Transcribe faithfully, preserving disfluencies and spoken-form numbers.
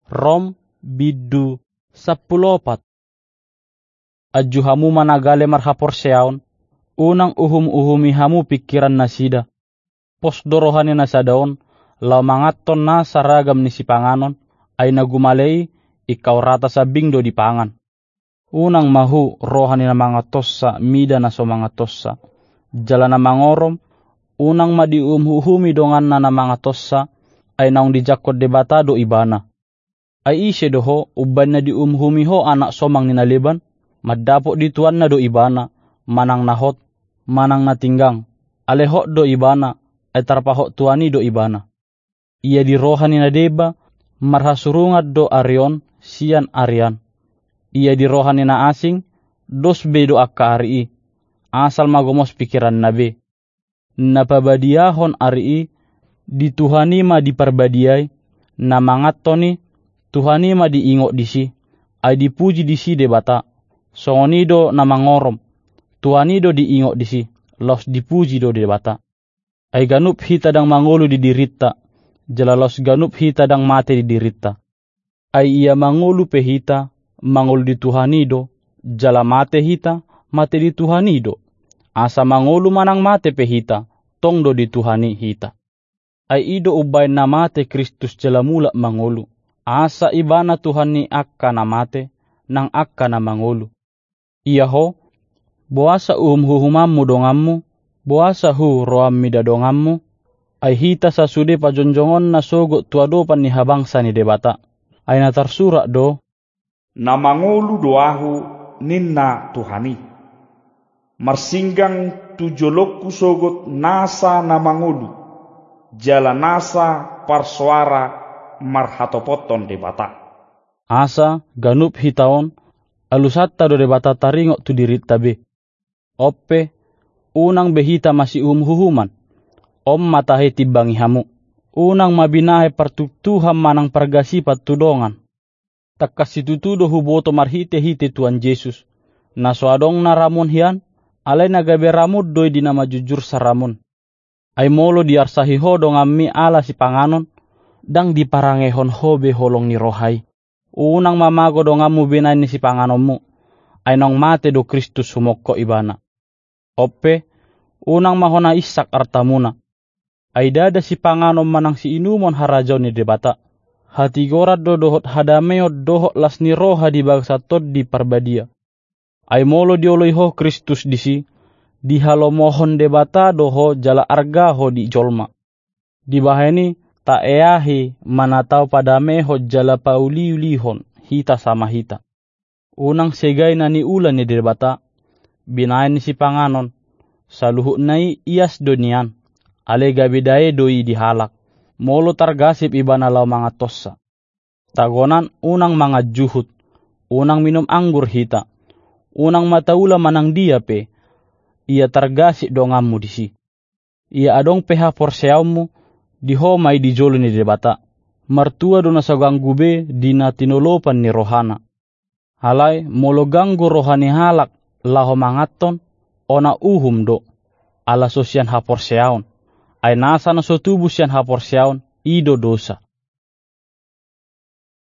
Rom, bindu sampulu opat. Anju hamu ma na gale marhaporseaon, unang uhum-uhumi hamu pingkiran nasida. Pos do roha ni na sada on, laho manganhon nasa ragam ni sipanganon, ai na gumale i, ingkau rata sambing do dipangan. Unang ma hu roha ni na manganhonsa mida na so manganhonsa. Jala na mangorom, unang ma diuhum-uhumi donganna na manganhonsa, ai naung dijangkon Debata do ibana. Ai ise do ho, umbaen na diuhum-uhumi ho anak somang ni na leban? Mandapot di tuanna do ibana, manang na hot, manang na tinggang. Alai hot do ibana, ai tarpahot tuan i do ibana. Ia di roha ni na deba, marhasurungan do ari on sian ari an. Ia di roha ni na asing, dos be do angka ari i, asal ma gomos pingkiranna be. Na pabadiahon ari i, di Tuhan i ma diparbadiai, na manganhon i, Tuhan i ma diingot disi, ai dipuji disi Debata. Songon i do na mangorom, Tuhan i do diingot disi, laos dipuji do Debata. Ai ganup hita ndang mangolu di dirinta, jala laos ganup hita ndang mate di dirinta. Ai ia mangolu pe hita, mangolu di Tuhan i do, jala mate hita, mate di Tuhan i do. Asa mangolu manang mate pe hita, tong do di Tuhan i hita. Ai i do umbaen na mate Kristus jala mulak mangolu, asa ibana Tuhan ni angka na mate, nang angka na mangolu. Ia ho, boasa uhum-uhumanmu donganmu, boasa hu roham mida donganmu? Ai hita sasude pajongjongonna sogot tu adopan ni habangsa ni Debata. Ai na tarsurat do: Na mangolu do ahu, ninna Tuhan i. Marsinggang tu jolongku sogot nasa na mangolu, jala nasa parsoara marhatopothon Debata. Asa ganup hita on, alusanta do Debata taringot tu dirinta be. On pe, unang be hita masiuhum-uhuman. On ma tahe timbangi hamu. Unang ma binahen partuktuhan manang pargasipan tu dongan. Tangkas situtu do huboto marhite-hite Tuhan Jesus, na so adong na ramon hian, alai na gabe ramon do i di na manjujur saramon. Ai molo diarsahi ho donganmi ala sipanganon, ndang diparangehon ho be holong ni roha i. Unang ma mago donganmu binahen ni sipanganonmu, ai naung mate do Kristus humongkop ibana. On pe, unang ma hona insak artamuna. Ai ndada sipanganon manang siinumon harajaon ni Debata. Hatigoran do dohot hadameon dohot las ni roha di bagasan Tondi Parbadia. Ai molo dioloi ho Kristus disi, dihalomohon Debata do ho jala arga ho di jolma. Dibahen i, taeahi ma na tau padamehon jala pauliulihon hita sama hita. Unang segai na niula ni Debata, binahen ni sipanganon, saluhutna i ias do nian, alai gabe dae do i di halak, molo targasip ibana laho manganhonsa. Tagonan unang mangan juhut, unang minum anggur hita, unang ma taula manang dia pe, ia targasip donganmu disi. Ia adong pe haporseaonmu, di ho ma i di jolo ni Debata. Martua do na so ganggu be di na tinolopan ni rohana. Alai molo ganggu roha ni halak laho manganhon, ona uhum do, ala so sian haporseaon. Ai nasa na so tubu sian haporseaon, i do dosa.